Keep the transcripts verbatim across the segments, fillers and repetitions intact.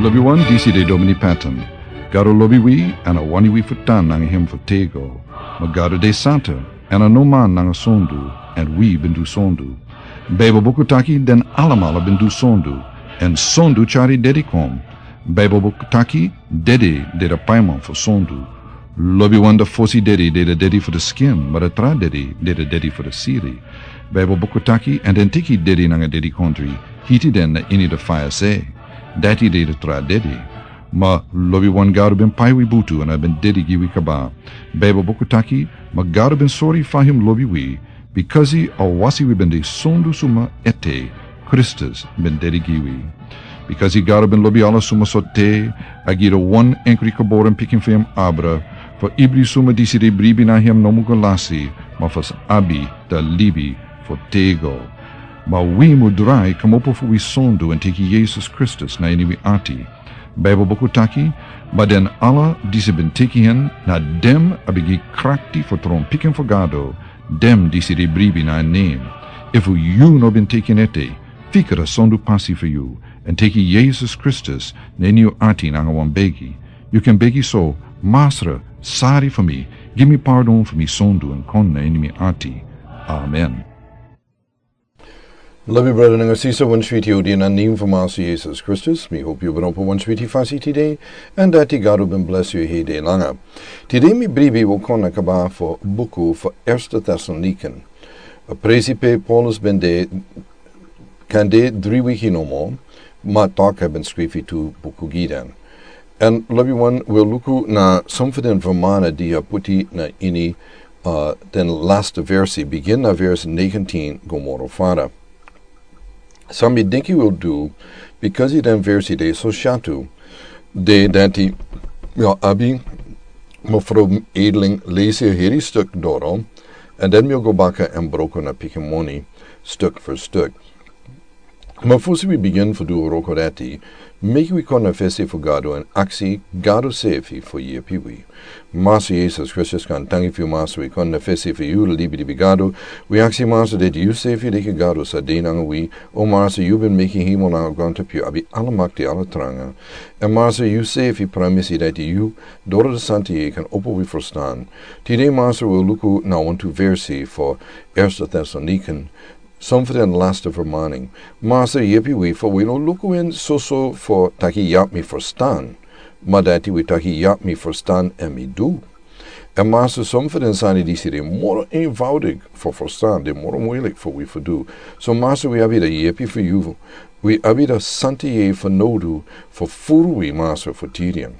Lobiwan, disi de Domini Patton. Gado lobi wi, èn a wani wi fu tan nanga hem fu tego. Ma Gado de santa, èn a no man nanga sondu, èn wi ben du sondu. Beibel buku taki den alamala ben du sondu, èn sondu tyari dedi kon. Beibel buku taki dedi de a paiman fu sondu. Lobiwan, a fosi dedi de a dedi fu a skin, ma a tra dedi de a dedi fu a sili. Beibel buku taki, èn den teki dedi nanga dedikondri, hiti den na ini a faya sei. Dati de a tra dedi. Ma lobiwan, Gado ben pai wi butu èn a ben dedi gi wi kaba. Beibel buku taki, ma Gado ben sori fa hem lobi wi, bikasi a wasi wi ben de sondu suma ete, Kristus ben dedi gi wi. Bikasi Gado ben lobi ala suma sortu, a gi a wan enkri geboren pikin fu hem abra, fu ibri suma disi de bribi na hem no mu go lasi, ma fu sa abi a libi fu tego. Ma wi mu drai kmopo fu wi sondu èn teki Yesus Kristus na ini wi ati. Beibel buku taki, ma den ala disi ben teki en, na den a ben gi krakti fu tron pikin fu Gado, den disi de bribi na en nen. Efu yu no ben teki en ete, fika a sondu pasi fu yu, èn teki Yesus Kristus na ini yu ati nanga wan begi. Yu kan begi so: Masra, sari fu mi, gi mi pardon fu mi sondu èn kon na ini mi ati. Amen. Lobi brada nanga sisa, wan switi odi na nen fu Masra Yesus Kristus. Mi hopi yu ben opo wan switi fasi tide, èn dati Gado ben blesi yu heri langa. Tide mi bribi wi o kon na kaba fu buku fu Eerste Thessaloniken. A presi pe Paulus ben de, kan de dri wiki nomo, ma tok a ben skrifi tu buku gi den. Èn lobiwan, wi o luku na son fu den vermani di a puti na ini, uh, den laste versi, bigin na vers negentien go moro fara. San mi denki wi o du, bikasi den versi de so syatu, de dati mi o abi mevrouw Edeling lesi a heri stuk doro, èn den mi o go baka èn broko na pikin moni stuk fu stuk. Ma fosi wi bigin fu du wroko dati, meki wi kon na fesi fu Gado èn aksi Gado sefi fu yepi wi. Masra Yesus Kristus, kon tangi fu yu, Masra. Wi kon na fesi fu yu, libi libi Gado. Wi aksi, Masra, dati yu sefi leki Gado sa de nanga wi. O Masra, yu ben meki hemel nanga grontapu, yu abi ala makti, ala tranga. Èn Masra, yu sefi pramisi dati yu, doro a Santa Yeye, kan opo wi ferstan. Tide, Masra, wi o luku na wantu versi fu Eerste Thessaloniken, son fu den laste vermaning. Masra, yepi wi fu wi no luku en soso fu taki: Yabi mi ferstan. Ma dati wi taki: Yabi mi ferstan èn mi du. Èn Masra, son fu den sani disi de moro eenvoudig fu ferstan, de moro muilik fu wi fu du. So Masra, wi abi a yepi fu yu. Wi abi a Santa Yeye fanowdu fu furu wi, Masra, fu tiri en.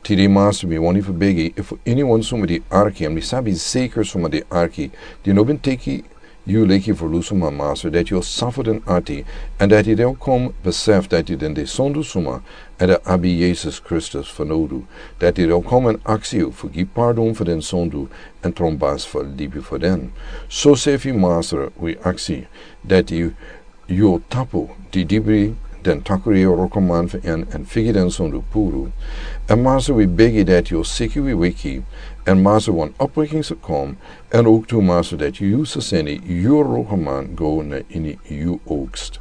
Tide, Masra, mi wani fu begi, efu iniwan suma di arki, èn mi sabi zeker suma di arki, di no ben teki yu leki ferlusuman, Masra, dati yu o sofri den ati, èn dati den o kon besefi dati den de sondu suma, èn den abi Yesus Kristus fanowdu, dati den o kon èn aksi yu fu gi pardon fu den sondu, èn tron basi fu libi fu den. Sosefi, Masra, wi aksi dati yu yu o tapu didibri den takru yeye wrokoman fu en, èn figi den sondu puru. Èn Masra, wi begi dati yu o seki wi weki, èn Masra, wan opweki sa kon, èn ooktu, Masra, dati yu sa seni yu wrokoman go na ini yu oogst.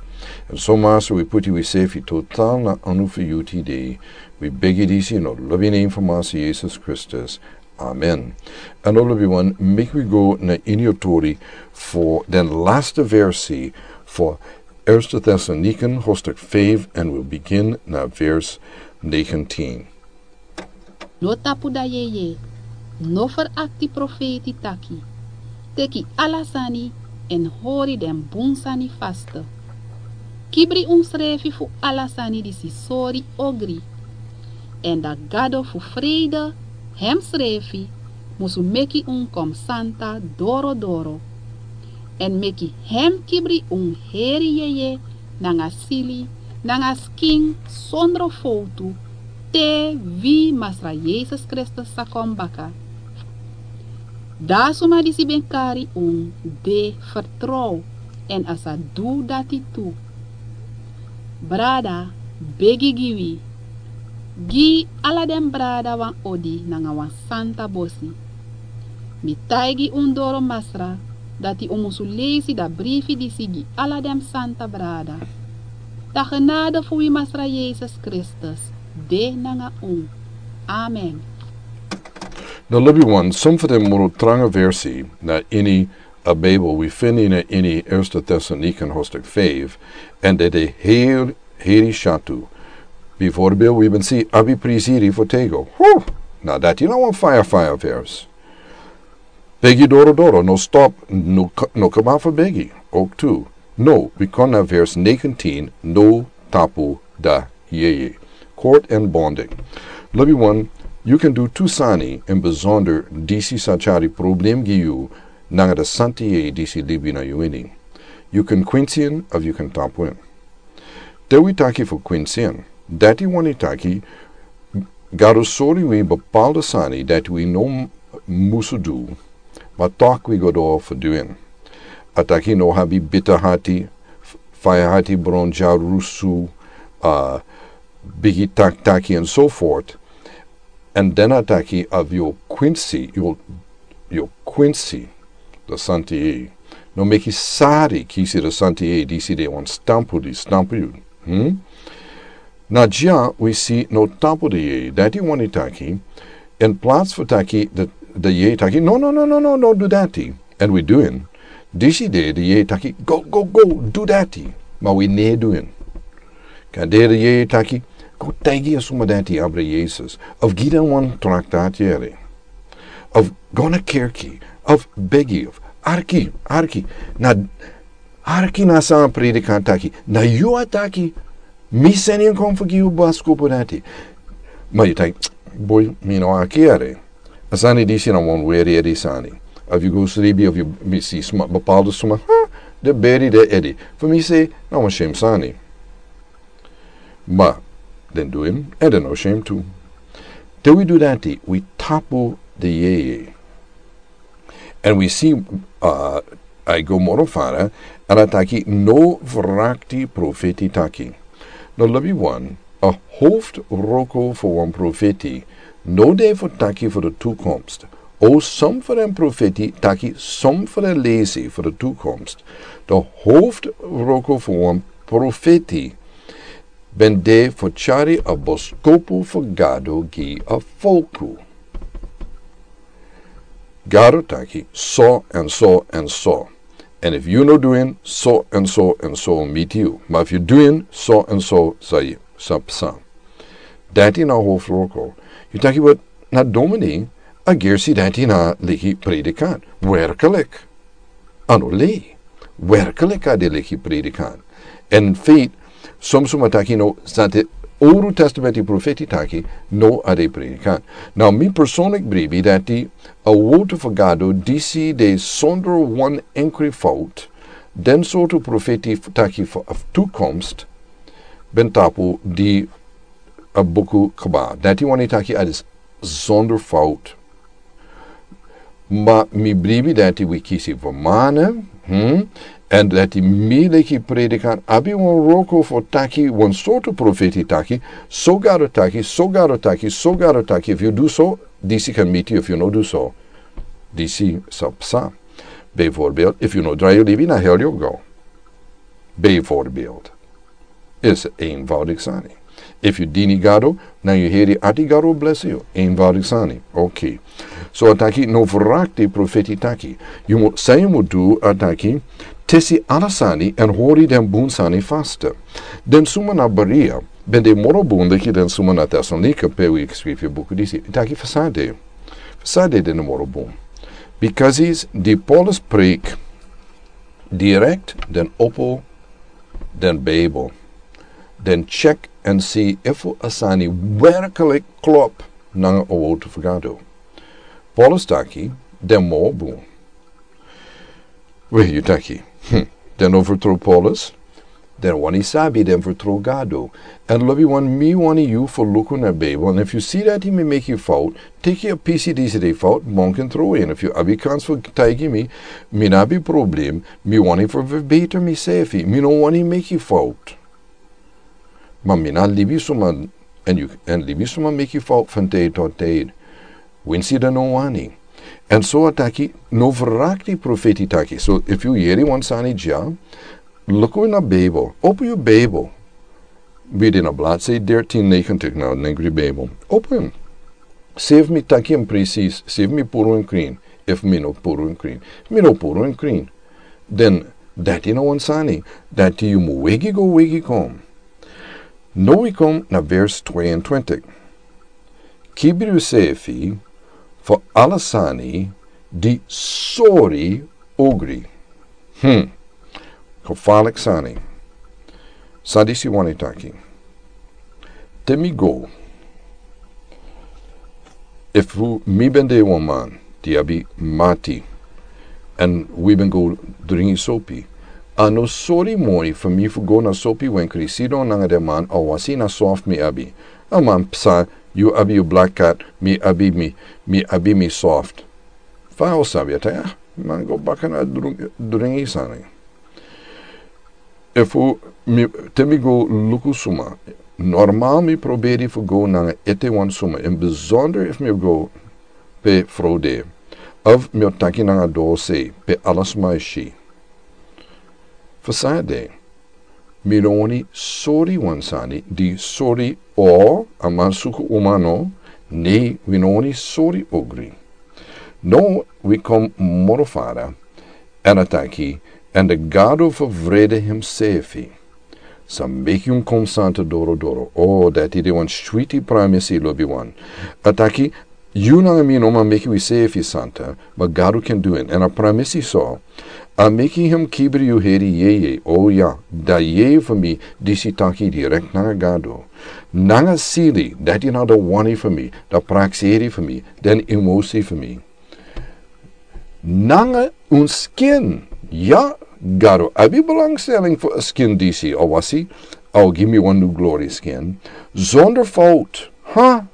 Èn so, Masra, wi puti wisefi total na anu fu yu tide. Wi begi disi na lobi nen fu Masra Yesus Kristus. Amen. Èn lobiwan, meki wi go na ini a tori fu den laste versi fu Eerste Thessaloniken, hoofdstuk vijf, èn wi o bigin na vers negentien. No tapu da yeye, no ferakti profeiti taki. Teki ala sani èn hori den bun sani faste. Kibri unsrefi fu ala sani disi sori ogri. Èn da Gado fu freide, hemsrefi, musu meki un kon santa dorodoro. Èn meki hem kibri un heri yeye, nanga sili, nanga skin, sondro fowtu, te wi Masra Yesus Kristus sa kon baka. Da suma disi ben kari un de fertrow, èn a sa du dati tu. Brada, begi gi wi. Gi ala den brada wan odi nanga wan santa bosi. Mi taigi un doro Masra, dati un musu leisi da brifi disi gi ala den santa brada. Da genade fu wi Masra Yesus Kristus, de nanga un. Amen. Na libi wan, some fu den moro tranga versi na ini a Bijbel wi feni na ini Eerste Thessalonican hoofdstuk vijf, en de de heel heri shatu. Bijvoorbeeld wi ben si abi prisiri fu tego. Huh! Na dati na wan fire fire vers. Begi doro doro, no stop, no, k- no kaba fu begi. Ook tu. No, wi kon na vers negentien, no tapu da yeye. Court and bonding. Libi wan, you can do two sani en bijzonder disi sa tyari problem gi yu nanga de santi yeye disi libi na yu ini. You can kwinsi en of you can tapu en. Te wi taki fu kwinsi en, dati wani taki Gado sori wi bepaalde sani dati wi no m- musu du, ma toch wi go doro fu du en. A taki no abi bita hati, f- faya hati bron dyarusu, a bigi tak- taki en so voort. En den a taki of yu o kwinsi, yu o, yu o kwinsi de santi yeye. No meki sari kisi de santi yeye disi de wan stampu di stampu yu. Hmm? Na dya wi si no tapu de yeye. Dati wani taki, in plaats fu taki de, de yeye taki, no, no, no, no, no, no, du dati. En wi du en. Disi de de yeye taki, go, go, go, du dati. Ma wi no e du en. Kande de yeye taki, go taigi a suma dati abra Yesus. Of gi den wan traktat yere. Of go na kerki. Of begi. Of arki, arki. Na arki na san a predikant taki. Na yu a taki. Mi seni en kon fu gi yu boskopu dati. Ma yu taki, boi, mi no arki yere. A sani disi na wan weri edi sani. Of yu go sribi, of yu mi si suma, bepaalde suma, ha, de beri de edi. Fu mi se, na wan shem sani. Ma den du en, en den no shem tu. Te wi du dati, wi tapu de yeye. En wi si, a, a e go moro fara, en a taki no vrakti profeti taki. No libi wan, a hoofdroko fu wan profeti, no de fu taki fu de toekomst. O som fu den profeti taki som fu den lesi fu de toekomst. De hoofdroko fu wan profeti ben de fu tyari a boskopu fu Gado gi a folku. Gado taki, so en so en so. En if yu no du en, so en so en so miti yu. Ma if yu du en, so en so sa yu sa psa. Dati na hoofdroko. Yu taki, but na domini, a gersi dati na leki predikant. Werkelijk. A no lei. Werkelijk a de leki predikant. En feit, som suma taki no, sante Oru Testamenti profeti taki, no a de predikant. Now, mi persoonlijk bribi dati a wotu fu Gado disi de sonder wan enkri fout, den sortu profeti f- taki fu a toekomst, ben tapu di a buku kaba. Dati wani taki a de sonder fout. Ma mi bribi dati wi kisi fu mane, hmm? En dati mi leki predikant abi wan roko fu taki, wan sortu profeti taki, so Gado taki, so Gado taki, so Gado taki, if yu du so, disi kan miti yu, if yu no du so, disi sa psa. Bijvoorbeeld, if yu no drai yu libi na hel yu go. Bijvoorbeeld. Is eenvoudig sani. If yu dini Gado, na yu heri ati Gado bless yu. Eenvoudig sani. Okay. So a taki no vrakti profeti taki. Yu mu, san yu mu du a taki, tesi ala sani en hori den bun sani faste. Den suma na Berea, ben de moro bun leki den suma na Tesalonika pe wi skrifi buku disi. Taki fasade. Fasade den moro bun. Because is di Paulus preek direct den opo den Bijbel. Den check en si efu a sani werkelijk klop nanga a wotu fu Gado. Paulus taki, den moro bun. We yu taki, hmm, den no vertrouw Paulus? Den wani sabi den vertrouw Gado. En lobi wan mi wani yu fu luku na Bijbel. En if yu si dati mi meki fout, teki a pisi disi de fout, monken tro en. If yu abi kans fu taigi mi, mi no abi problem, mi wani fu verbeter misefi. Mi no wani meki fout. Ma mi no libi suma, en yu, en libi suma meki fout van tijd tot tijd. Winsi den no wani. En so a taki, no vrakti profeti taki. So, if yu yeri wan sani dya, luku na Bijbel. Opo yu Bijbel. Wi de na bladsij dertien negentig na Negri Bijbel. Open. Save mi taki en precies, save mi puru en krin. Efu mi no puru en krin, mi no puru en krin. Den dati na wan sani dati yu mu wegi go wegi kon. No wi kon na vers tweeëntwintig. Kibri usefi fu ala sani di sori ogri. Hmm. Gevaarlijk sani. San disi wani taki. Te mi go. Efu mi ben de wan man di abi mati, èn wi ben go dringi sopi, a no sori moi fu mi fu go na sopi wenkri sidon nanga den man, a wasi na soft mi abi. A man psa, yu abi yu black cat, mi abi mi, mi abi mi soft. Fa o sabi a taya man go baka na dringi sani. Efu mi te mi go luku suma, normal mi proberi fu go nanga ete wan suma, en besonder efu mi go pe fro de, of mi o taki nanga dose pe ala suma e si. Fu san de mi no wani sori wan sani di sori o a man suku umano. Ne wi no wani sori ogri. No wi kon moro fara. Èn a taki, èn de Gado fu vrede himsefi sa meki un kon santa dorodoro. O dati de wan switi pramisi lobi wan. A taki, yu nanga mi no man meki wi sefi santa, ma Gado ken du en. Èn a pramisi so, a meki him kibri yu heri yeye. O ya, da yeye fu mi disi taki direkt nanga Gado. Nanga sili dati na da wani fu mi, da prakseri fu mi, den emosi fu mi. Nanga un skin. Ya, Gado abi belangstelling fu a skin disi a wasi. A o gi mi wan nu glori skin. Zonder fout. Ha.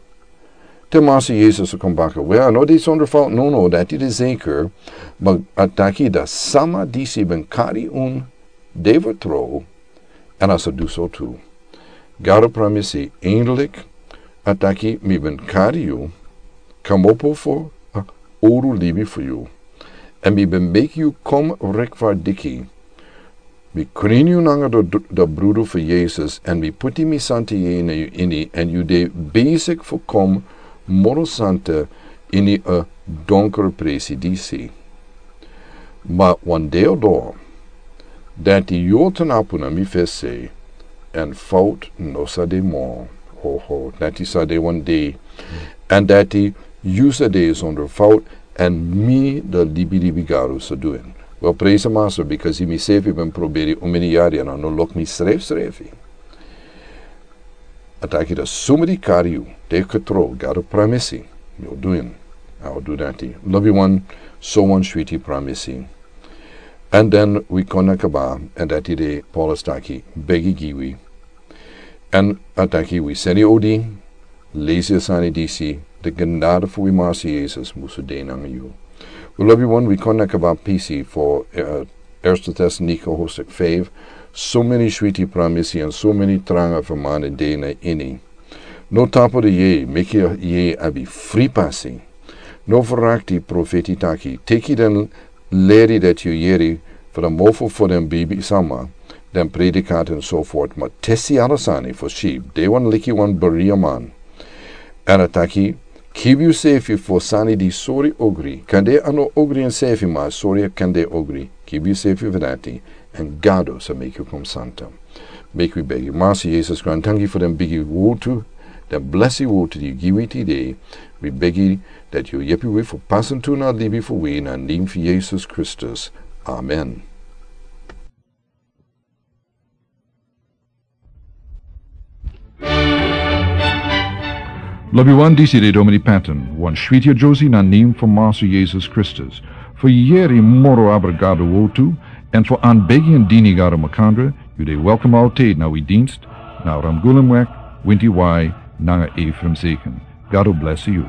Te Masa Yesus a kon baka, we a no de zonder fout, no no dati de zeker. Ma a taki da sama disi ben kari un de vertrouw. Èn a sa du so tu. Gado pramisi eindelik, a taki mi ben kari yu, kamopo fu a oru libi fu yu. Èn mi ben meki yu kon rekvardiki. Mi krin yu nanga da brudu fu Yesus, èn mi puti mi santa yeye na yu ini, èn yu de besik fu kon moro santa ini a donker presi disi. Ma wan dei o doro, dati yu o tnapu na mi fesi, èn fout no sa de moro. Ho ho, dati sa de wan dei. Èn dati yu sa de zonder fout, èn mi da libi libi Gado sa du en. Wel, prijs a Masa, bikasi mi sefi ben proberi un meni yari èn a no luk mi srefsrefi. A taki da suma di kari yu, de ketro, Gado pramisi, mi o du en. A o du dati. Lobi wan, so wan switi pramisi. Èn den wi kon na kaba, èn dati de Paulus taki, begi gi wi. Èn a taki wi seni odi, lesi a sani disi, de genade fu wi Masa Yesus musu de nanga yu. Wi lobi wan, wi kon na kaba pisi fu, eh, Eerste Tesalonika hoofdstuk vijf, so meni switi pramisi èn so meni tranga fu man de na ini. No tapu de yeye, meki yeye abi fri pasi. No ferakti profeti taki, teki den leri dati yu yeri fu den mofo fu den bibisma, den predikant èn so fort, ma tesi ala sani fu si, de wan leki wan Berea man. Èn a taki, kibi yusefi fu sani di sori ogri, kande a no ogri ensefi ma sori a kande ogri, kibi yusefi fu dati, èn Gado sa meki yu kon santa. Meki wi begi. Masa Yesus, grantangi fu den bigi wortu, den blesi wortu di yu gi wi tide. Wi begi dati yu yepi wi fu pasa tu na libi fu wi na nen fu Yesus Kristus. Amen. Lobi wan, disi de Domini Patton, wan switi a Josie na nen fu Masa Yesus Kristus. Fu yeri moro abra Gado wortu, èn fu anbegi èn dini Gado makandra, yu de welkom altijd na wi dienst, na Ramgulemweg, Winti Wai, nanga Ephraim Zeken. Gado blesi yu.